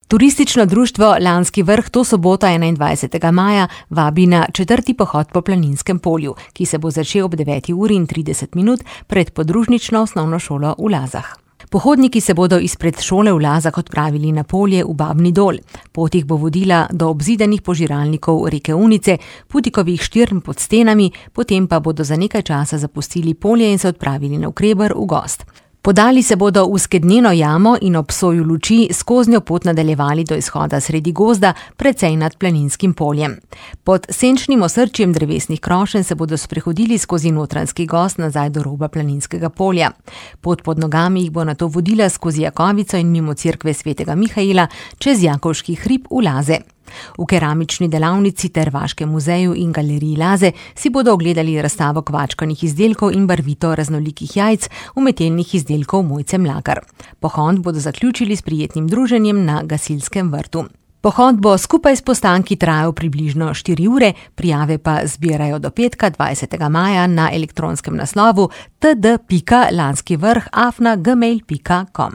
Turistično društvo Lanski vrh to soboto 21. maja vabi na 4. pohod po Planinskem polju, ki se bo začel ob 9:30 pred podružnično osnovno šolo v Lazah. Pohodniki se bodo izpred šole v Lazah odpravili na polje v Babni Dol. Pot jih bo vodila do obzidanih požiralnikov reke Unice, Putikovih štirn pod stenami, potem pa bodo za nekaj časa zapustili polje in se odpravili navkreber v gozd. Podali se bodo v Skednjeno jamo in ob soju luči skoznjo pot nadaljevali do izhoda sredi gozda, precej nad Planinskim poljem. Pod senčnim osrčjem drevesnih krošenj se bodo sprehodili skozi Notranjski gozd nazaj do roba Planinskega polja. Pot pod nogami jih bo nato vodila skozi Jakovico in mimo cerkve svetega Mihaela čez Jakovški hrib v Laze. V keramični delavnici ter Vaškem muzeju in galeriji Laze si bodo ogledali razstavo kvačkanih izdelkov in barvito raznolikih jajc umetelnih izdelkov Mojce Mlakar. Pohod bodo zaključili s prijetnim druženjem na Gasilskem vrtu. Pohod bo skupaj s postanki trajal približno 4 ure, prijave pa zbirajo do petka 20. maja na elektronskem naslovu td.lanskivrh@gmail.com.